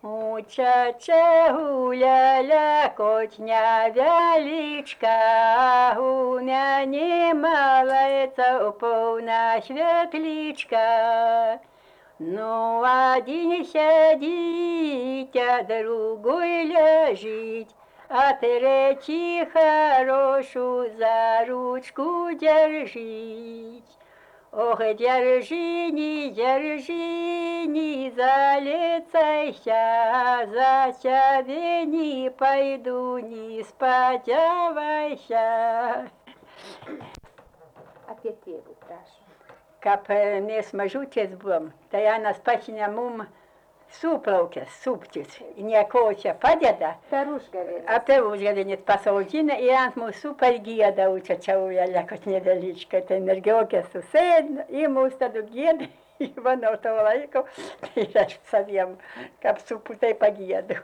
Учача гуляля котня вялічка, у мяне малаецца поўна святлічка. Ну, один сядзіць, а другой ляжыць, а третий хорошую за ручку держить. Ох, держи, не залецайся, за тебя не пойду, не сподевайся. А Петреву прошу. Каб не смажуце з бом, та я на спасіння мум суплавке, супчиць, і ніякогося падяда, Старушка ведь. а певужа не спасовдіна, і антму супай гіда учача уяля, кот недалічка, та енергіоке суседно, і муста до гіда, і воно то лайко, і раш сав'ям, каб супу та й пагіду.